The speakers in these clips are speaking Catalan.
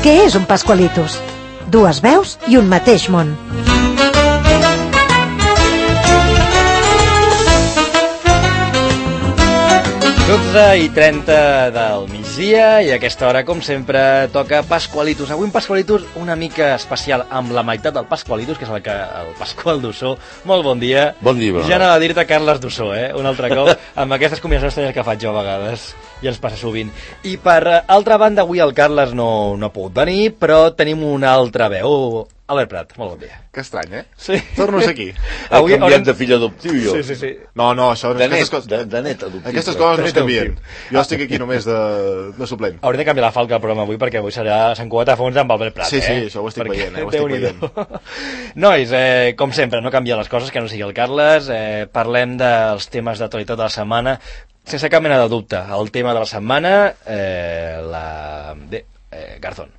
Què és un Pascualitos? Dues veus i un mateix món. 12:30 del migdia i a aquesta hora, com sempre, toca Pascualitos. Avui un Pascualitos una mica especial amb la meitat del Pascualitos, que és el Pasqual Dussó. Molt bon dia. Bon dia. Ja anava a dir-te Carles Dussó, un altre cop, amb aquestes combinacions estranyes que faig jo a vegades, i ens passa sovint. I per altra banda, avui el Carles no ha pogut venir, però tenim una altra veu. Albert Prat, molt bon dia. Que estrany, Sí. Torno a ser aquí. Avui canviat de fill adoptiu, jo. Sí. No, això... De net adoptiu. Aquestes coses no es canvien. Jo estic aquí només de suplent. Hauré de canviar la falca al programa avui, perquè avui serà Sant Cugat a fons amb Albert Prat. Sí, això ho estic veient, ho estic veient. Nois, com sempre, no canvia les coses, que no sigui el Carles. Parlem dels temes d'actualitat de la setmana, sense cap mena de dubte. El tema de la setmana, Garzón.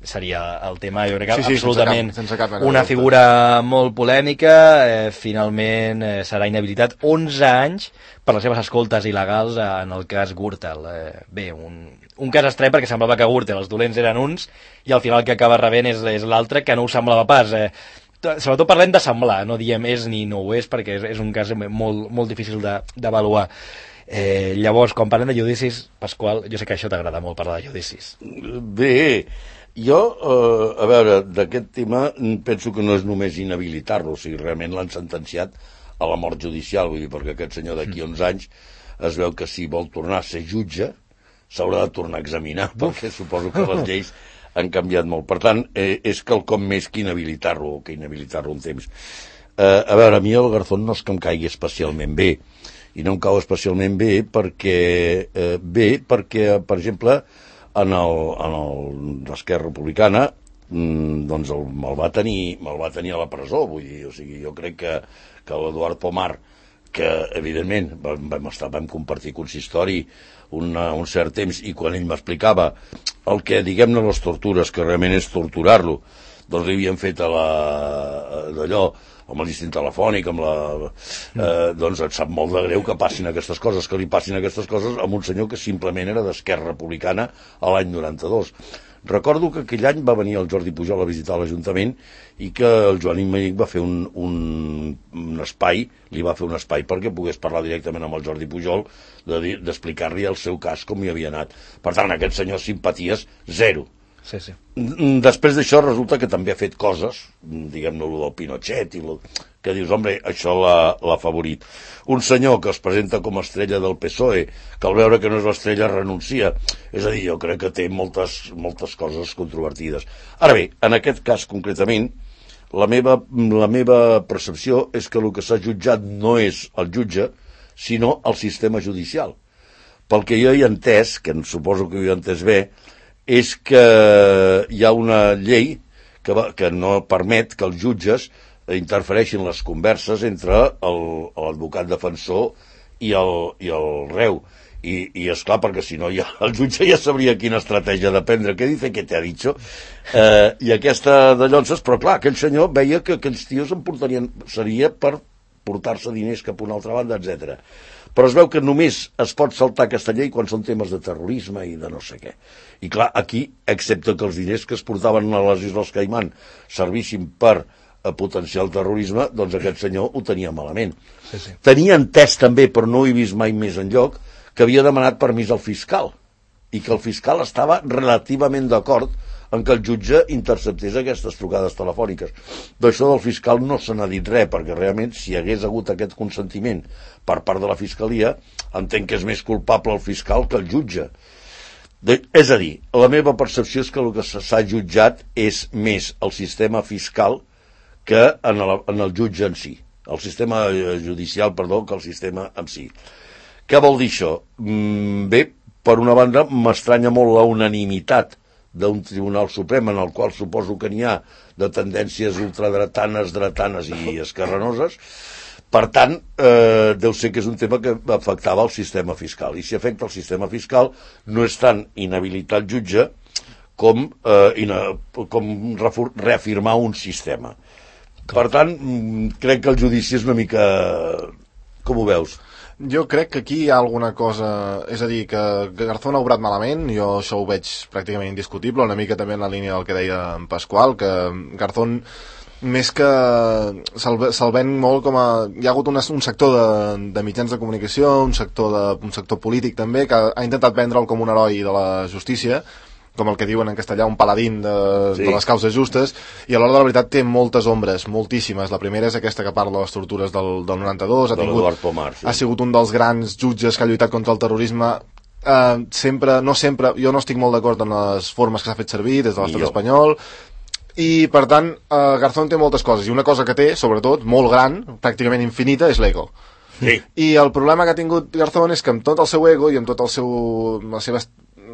Seria el tema, jo crec que absolutament sense cap una figura molt polèmica. Finalment serà inhabilitat 11 anys per les seves escoltes il·legals en el cas Gürtel. Bé, un cas estrany, perquè semblava que Gürtel, els dolents eren uns, i al final el que acaba rebent és l'altre, que no ho semblava pas. Sobretot parlem de semblar, no diem és ni no ho és, perquè és un cas molt, molt difícil d'avaluar. Llavors, quan parlem de judicis, Pasqual, jo sé que això t'agrada molt, parlar de judicis. Bé, jo, a veure, d'aquest tema penso que no és només inhabilitar-lo, o sigui, realment l'han sentenciat a la mort judicial, vull dir, perquè aquest senyor d'aquí 11 anys es veu que si vol tornar a ser jutge s'haurà de tornar a examinar, perquè suposo que les lleis han canviat molt. Per tant, és quelcom més que inhabilitar-lo un temps. A veure, a mi el Garzón no és que em caigui especialment bé, i no em cau especialment bé perquè, per exemple, en l'Esquerra Republicana doncs me'l va tenir a la presó, vull dir, o sigui, jo crec que l'Eduard Pomar, que evidentment vam compartir consistori un cert temps, i quan ell m'explicava el que, diguem-ne, les tortures, que realment és torturar-lo, doncs li havien fet d'allò amb el distint telefònic, doncs et sap molt de greu que passin aquestes coses, que li passin aquestes coses a un senyor que simplement era d'Esquerra Republicana a l'any 92. Recordo que aquell any va venir el Jordi Pujol a visitar l'Ajuntament i que el Joan Imeric va fer un espai, li va fer un espai perquè pogués parlar directament amb el Jordi Pujol, d'explicar-li el seu cas, com hi havia anat. Per tant, aquest senyor simpaties, zero. Sí. Després d'això resulta que també ha fet coses, diguem-ne, el del Pinochet, que dius, home, això l'ha favorit. Un senyor que es presenta com a estrella del PSOE, que al veure que no és l'estrella renuncia. És a dir, jo crec que té moltes coses controvertides. Ara bé, en aquest cas concretament, la meva percepció és que el que s'ha jutjat no és el jutge, sinó el sistema judicial. Pel que jo he entès, que suposo que ho he entès bé, és que hi ha una llei que no permet que els jutges interfereixin les converses entre l'advocat defensor i el reu. I esclar, perquè si no el jutge ja sabria quina estratègia de prendre. Què dice que te ha dicho? I aquesta de llonses, però clar, aquell senyor veia que aquells tios seria per portar-se diners cap a una altra banda, etc. Però es veu que només es pot saltar aquesta llei quan són temes de terrorisme i de no sé què. I clar, aquí, excepte que els diners que es portaven a les Isles Caimán servissin per potenciar el terrorisme, doncs aquest senyor ho tenia malament. Sí. Tenia entès també, però no ho he vist mai més enlloc, que havia demanat permís al fiscal, i que el fiscal estava relativament d'acord en que el jutge interceptés aquestes trucades telefòniques. D'això del fiscal no se n'ha dit res, perquè realment si hi hagués hagut aquest consentiment per part de la fiscalia, entenc que és més culpable el fiscal que el jutge. És a dir, la meva percepció és que el que s'ha jutjat és més el sistema fiscal que en el jutge en si. El sistema judicial, perdó, que el sistema en si. Què vol dir això? Bé, per una banda, m'estranya molt la unanimitat d'un Tribunal Suprem en el qual suposo que n'hi ha de tendències ultradretanes, dretanes i esquerranoses. Per tant, deu ser que és un tema que afectava el sistema fiscal. I si afecta el sistema fiscal, no és tant inhabilitar el jutge com reafirmar un sistema. Per tant, crec que el judici és una mica... Com ho veus? Jo crec que aquí hi ha alguna cosa... És a dir, que Garzón ha obrat malament, jo això ho veig pràcticament indiscutible, una mica també en la línia del que deia en Pasqual, que Garzón, més que se'l ven molt com a... Hi ha hagut un sector de mitjans de comunicació, un sector polític també, que ha intentat vendre'l com un heroi de la justícia, com el que diuen en castellà, un paladín de les causes justes, i a l'hora de la veritat té moltes ombres, moltíssimes. La primera és aquesta que parla de les tortures del 92, ha sigut un dels grans jutges que ha lluitat contra el terrorisme, jo no estic molt d'acord en les formes que s'ha fet servir des de l'estat espanyol, i per tant Garzón té moltes coses, i una cosa que té, sobretot, molt gran, pràcticament infinita, és l'ego. Sí. I el problema que ha tingut Garzón és que amb tot el seu ego i amb tot la seva,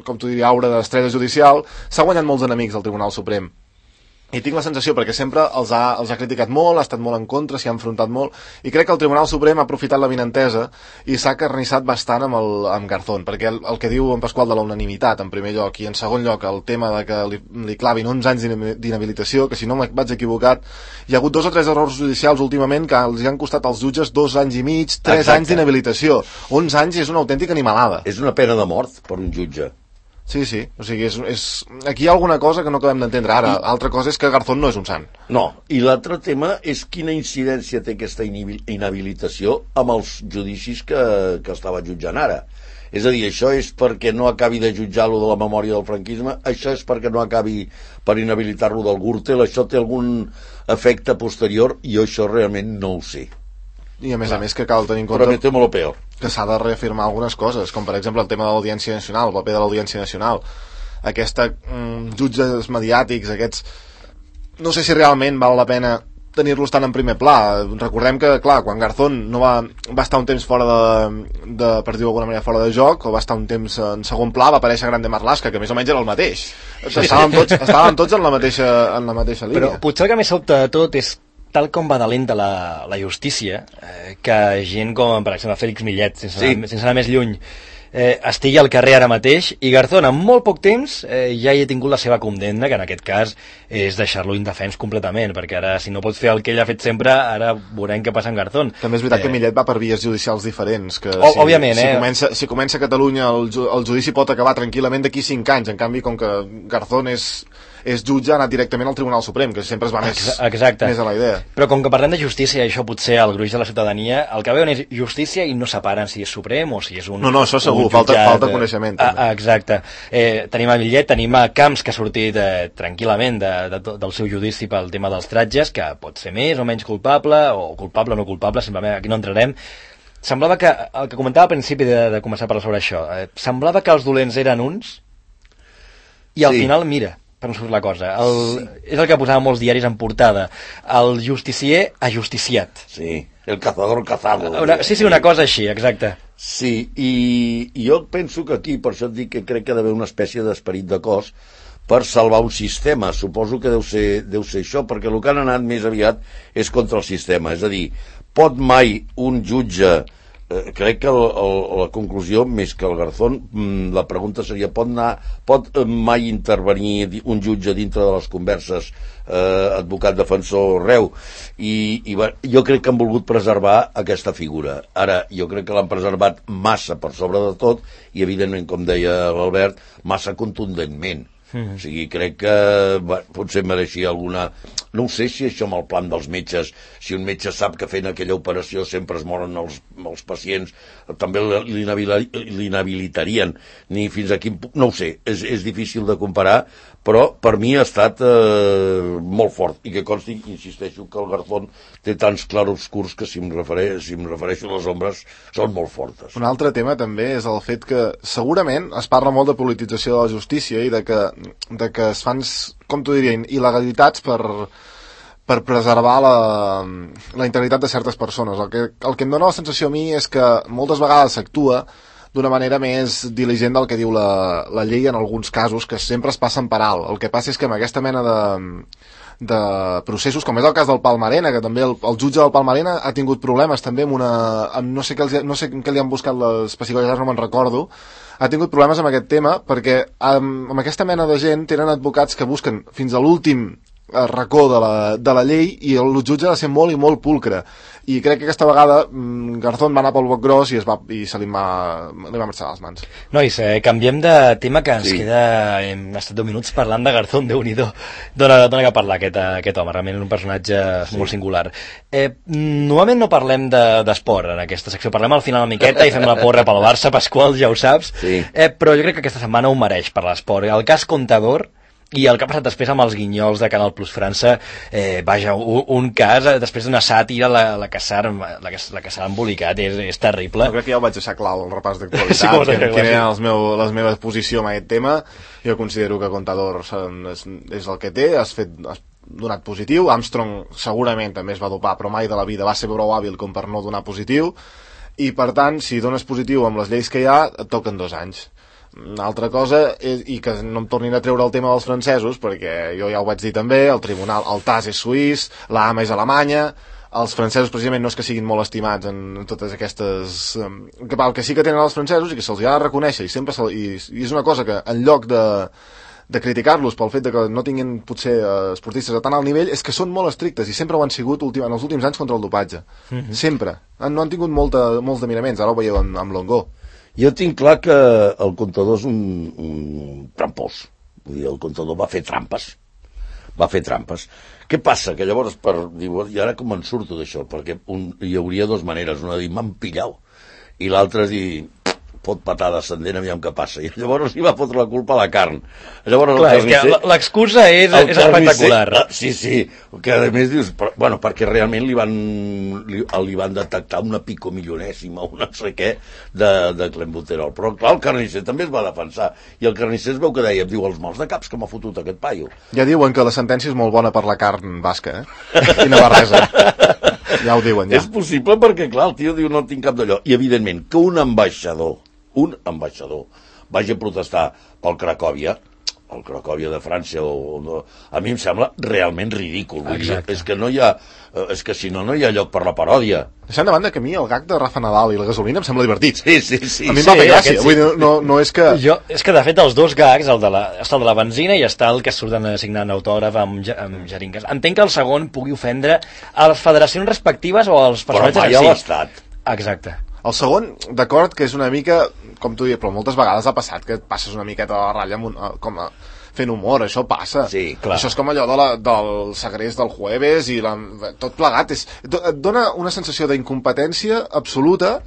com tu diria, aura d'estrella judicial, s'ha guanyat molts enemics al Tribunal Suprem. I tinc la sensació, perquè sempre els ha criticat molt, ha estat molt en contra, s'hi ha enfrontat molt, i crec que el Tribunal Suprem ha aprofitat l'avinentesa i s'ha carnissat bastant amb Garzón, perquè el que diu en Pasqual de la unanimitat, en primer lloc, i en segon lloc el tema de que li clavin 11 anys d'inhabilitació, que si no vaig equivocat, hi ha hagut 2 o 3 errors judicials últimament que els han costat als jutges 2 anys i mig, 3 anys d'inhabilitació. 11 anys és una autèntica animalada. És una pena de mort per un jutge. Sí, o sigui, aquí hi ha alguna cosa que no acabem d'entendre ara. Altra cosa és que Garzón no és un sant. No, i l'altre tema és quina incidència té aquesta inhabilitació amb els judicis que estava jutjant ara. És a dir, això és perquè no acabi de jutjar-lo de la memòria del franquisme, això és perquè no acabi per inhabilitar-lo del Gürtel, això té algun efecte posterior, i jo això realment no ho sé. I a més que cal tenir en compte Prometemos lo peor, que s'ha de reafirmar algunes coses, com per exemple el tema de l'Audiència Nacional, el paper de l'Audiència Nacional, jutges mediàtics, aquests, no sé si realment val la pena tenir-los tan en primer pla. Recordem que, clar, quan Garzón no va estar un temps fora per dir-ho d'alguna manera, fora de joc, o va estar un temps en segon pla, va aparèixer Grande Marlaska, que més o menys era el mateix. Estàvem tots en la mateixa línia. Però potser el que més sobta de tot és tal com va de lenta la justícia, que gent com, per exemple, Félix Millet, sense anar més lluny, estigui al carrer ara mateix, i Garzón, en molt poc temps, ja hi ha tingut la seva condemna, que en aquest cas és deixar-lo indefens completament, perquè ara, si no pot fer el que ell ha fet sempre, ara veurem què passa amb Garzón. També és veritat que Millet va per vies judicials diferents, que òbviament, si comença a Catalunya, el judici pot acabar tranquil·lament d'aquí 5 anys, en canvi, com que Garzón és jutge, ha anat directament al Tribunal Suprem, que sempre es va més a la idea. Però com que parlem de justícia, i això potser el gruix de la ciutadania, el que veuen és justícia i no separen si és Suprem o si és un... No, això segur, falta coneixement. Exacte. Tenim a Millet, tenim a Camps, que ha sortit tranquil·lament del seu judici pel tema dels tratges, que pot ser més o menys culpable, o culpable o no culpable, simplement aquí no entrarem. Semblava que, el que comentava al principi de començar a parlar sobre això, semblava que els dolents eren uns, i al final, mira, per on surt la cosa. És el que posaven molts diaris en portada. El justicier ajusticiat. Sí, el cazador cazado. Sí, una cosa així, exacte. Sí, i jo penso que aquí, per això et dic que crec que ha d'haver una espècie d'esperit de cos per salvar un sistema. Suposo que deu ser això, perquè el que han anat més aviat és contra el sistema. És a dir, pot mai un jutge... crec que la conclusió, més que el Garzón, la pregunta seria, pot mai intervenir un jutge dintre de les converses advocat defensor reu? I jo crec que han volgut preservar aquesta figura. Ara, jo crec que l'han preservat massa per sobre de tot, i evidentment, com deia l'Albert, massa contundentment. O sigui, crec que potser mereixia alguna... No ho sé si això amb el plan dels metges, si un metge sap que fent aquella operació sempre es moren els pacients, també l'inhabilitarien, ni fins a quin punt... No ho sé, és difícil de comparar, però per mi ha estat molt fort, i que consti, insisteixo, que el Garzón té tants clarobscurs que si em refereixo a les ombres són molt fortes. Un altre tema també és el fet que segurament es parla molt de politització de la justícia i de que es fan, com t'ho diria, il·legalitats per preservar la integritat de certes persones. El que em dóna la sensació a mi és que moltes vegades s'actua d'una manera més diligent del que diu la llei en alguns casos, que sempre es passen per alt. El que passa és que amb aquesta mena de processos, com és el cas del Palmarena, que també el jutge del Palmarena ha tingut problemes també amb no sé què li han buscat les pessigolles, no me'n recordo, ha tingut problemes amb aquest tema, perquè amb aquesta mena de gent tenen advocats que busquen fins a l'últim racó de la llei i el jutge ha de ser molt i molt pulcre. I crec que aquesta vegada Garzón va anar pel boc gros i se li va marxar a les mans. Nois, canviem de tema, que ens queda... Hem estat 10 minuts parlant de Garzón, Déu-n'hi-do. Dona que parlar aquest home, realment és un personatge molt singular. Normalment no parlem d'esport en aquesta secció, parlem al final una miqueta i fem la porra pel Barça, Pasqual, ja ho saps, però jo crec que aquesta setmana ho mereix per l'esport. El cas Contador i el que ha passat després amb els guinyols de Canal Plus França, vaja, un cas, després d'una sàtira, la que s'ha embolicat, és terrible. Jo crec que ja ho vaig deixar clar al repàs d'actualitat, quina era la meva posició en aquest tema. Jo considero que Contador és el que té, has donat positiu. Armstrong segurament també es va dopar, però mai de la vida va ser prou hàbil com per no donar positiu, i per tant, si dones positiu amb les lleis que hi ha, et toquen 2 anys. Una altra cosa, i que no em tornin a treure el tema dels francesos, perquè jo ja ho vaig dir també, el TAS és suís, la AMA és alemanya, els francesos precisament no és que siguin molt estimats en totes aquestes... El que sí que tenen els francesos i que se'ls ha de reconèixer, i és una cosa que en lloc de criticar-los pel fet de que no tinguin potser esportistes a tan alt nivell, és que són molt estrictes i sempre ho han sigut en els últims anys contra el dopatge. Sempre. No han tingut molts de miraments, ara ho veieu amb Longo. Jo tinc clar que el Contador és un trampós. Vull dir, el Contador va fer trampes. Què passa? Que llavors, i ara com en surto d'això? Perquè hi hauria 2 maneres. Una de dir, m'han pillau. I l'altra és dir, fot patada ascendent, aviam què passa. I llavors li va fotre la culpa a la carn. Llavors, clar, és que l'excusa és espectacular. Sí, que a més dius, perquè realment li van detectar una picomilionèsima, una no sé què, de clenbuterol. Però clar, el carnisser també es va defensar. I el carnisser es veu que deia, diu, els mals de caps que m'ha fotut aquest paio. Ja diuen que la sentència és molt bona per la carn basca, i navarresa. Ja ho diuen, ja. És possible perquè, clar, el tio diu, no tinc cap d'allò. I, evidentment, que un ambaixador vagi a protestar pel Cracòvia, el Cracòvia de França, a mi em sembla realment ridícul. Vull dir, és que si no hi ha lloc per la paròdia. Deixant de banda que a mi el gag de Rafa Nadal i la gasolina em sembla divertit. Sí. A mi em va fer gràcia. Vull dir, no és que... És que, de fet, els 2 gags, està el de la benzina i està el que surten signant autògraf amb jeringues. Entenc que el segon pugui ofendre a les federacions respectives o als personatges però mai a l'Estat. Exacte. El segon, d'acord, que és una mica, com tu dius, però moltes vegades ha passat que et passes una miqueta a la ratlla fent humor, això passa. Sí, clar. Això és com allò del segrest del jueves i tot plegat. Et dona una sensació d'incompetència absoluta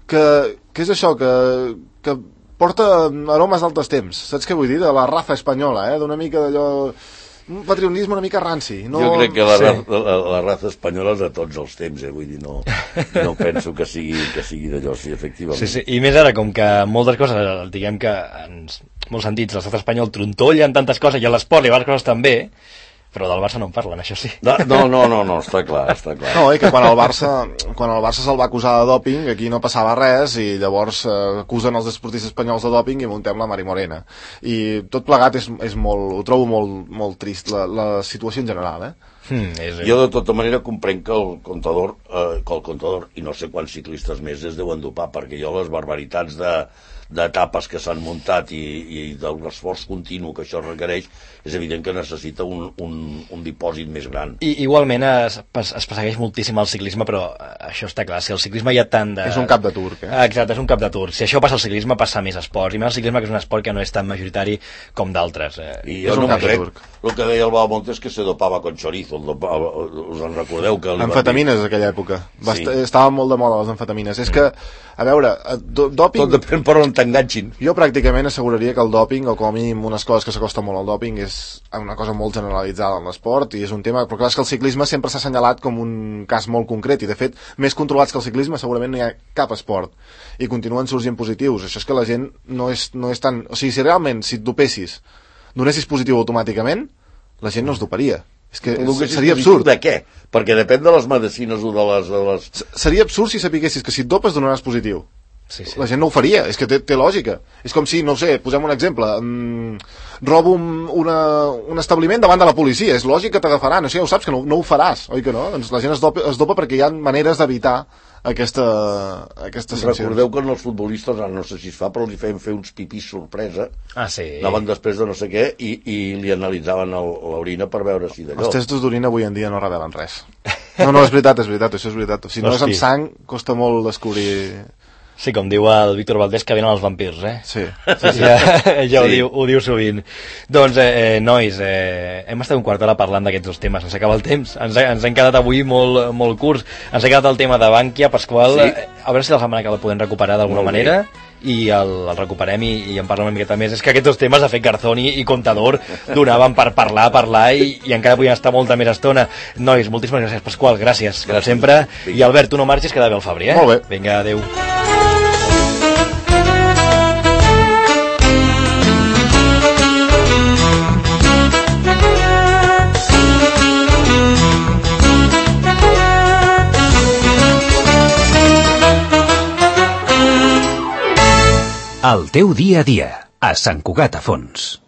que és això, que porta aromes d'altres temps. Saps què vull dir? De la raza espanyola, d'una mica d'allò... un patrionisme una mica ranci. Jo crec que la raza espanyola és de tots els temps, vull dir, no penso que sigui d'allò, sí, efectivament. Sí, i més ara, com que moltes coses, diguem que en molts sentits l'estat espanyol trontolla en tantes coses, i a l'esport i a les coses també, però del Barça no en parlen, això sí. No, està clar. No, i que quan el Barça se'l va acusar de dòping, aquí no passava res, i llavors acusen els esportistes espanyols de dòping i muntem la Mari Morena. I tot plegat és molt, ho trobo molt trist, la situació en general, Jo de tota manera comprenc que el Contador, i no sé quants ciclistes més es deuen dopar, perquè jo les barbaritats d'etapes que s'han muntat i de l'esforç continu que això requereix, és evident que necessita un dipòsit més gran. I igualment es persegueix moltíssim el ciclisme, però això està clar, si el ciclisme hi ha tant de... És un cap de turc, Exacte, és un cap de turc. Si això passa al ciclisme, passa a més esports, i més el ciclisme, que és un esport que no és tan majoritari com d'altres. I jo no crec, el que deia el Balmontes és que se dopava con chorizo, us en recordeu? Amfetamines d'aquella època. Estaven molt de moda les amfetamines. És que, a veure, dòping... Tot depèn per on t'enganxin. Jo pràcticament asseguraria que el dòping, o com a mínim unes coses que s'acosten molt al dòping, és una cosa molt generalitzada en l'esport, i és un tema... Però clar, és que el ciclisme sempre s'ha assenyalat com un cas molt concret, i de fet, més controlats que el ciclisme segurament no hi ha cap esport, i continuen sorgint positius. Això és que la gent no és tan... O sigui, si realment, si et dopessis, donessis positiu automàticament, la gent no es doparia. És que seria absurd. De què? Perquè depèn de les medicines o de les... Seria absurd si sapiguessis que si et dopes donaràs positiu. Sí. La gent no ho faria, és que té lògica. És com si, no ho sé, posem un exemple, robo un establiment davant de la policia, és lògic que t'agafaran, això ja ho saps, que no ho faràs, oi que no? Doncs la gent es dopa perquè hi ha maneres d'evitar aquesta sanció. Recordeu que els futbolistes, ara no sé si es fa, però li feien fer uns pipís sorpresa. Ah, sí. Anaven després de no sé què i li analitzaven l'orina per veure si d'allò. Els testos d'orina avui en dia no revelen res. No, és veritat, això és veritat. Si no és amb sang, costa molt descobrir... Sí, com diu el Víctor Valdés, que venen els vampirs, eh? Sí. Ja ho diu sovint. Doncs, nois, hem estat un quart d'hora parlant d'aquests dos temes. Ens acaba el temps. Ens hem quedat avui molt curts. Ens ha quedat el tema de Bankia, Pasqual. Sí. A veure si la setmana que la podem recuperar d'alguna manera. I el recuperem i en parlem una miqueta més. És que aquests dos temes, de fet, Garzón i Contador, donaven per parlar i encara podien estar molta més estona. Nois, moltíssimes gràcies, Pasqual, gràcies, com sempre. I Albert, tu no marxis, queda bé el Fabri, eh? Molt bé. Vinga, adeu. El teu dia a dia, a Sant Cugat a Fons.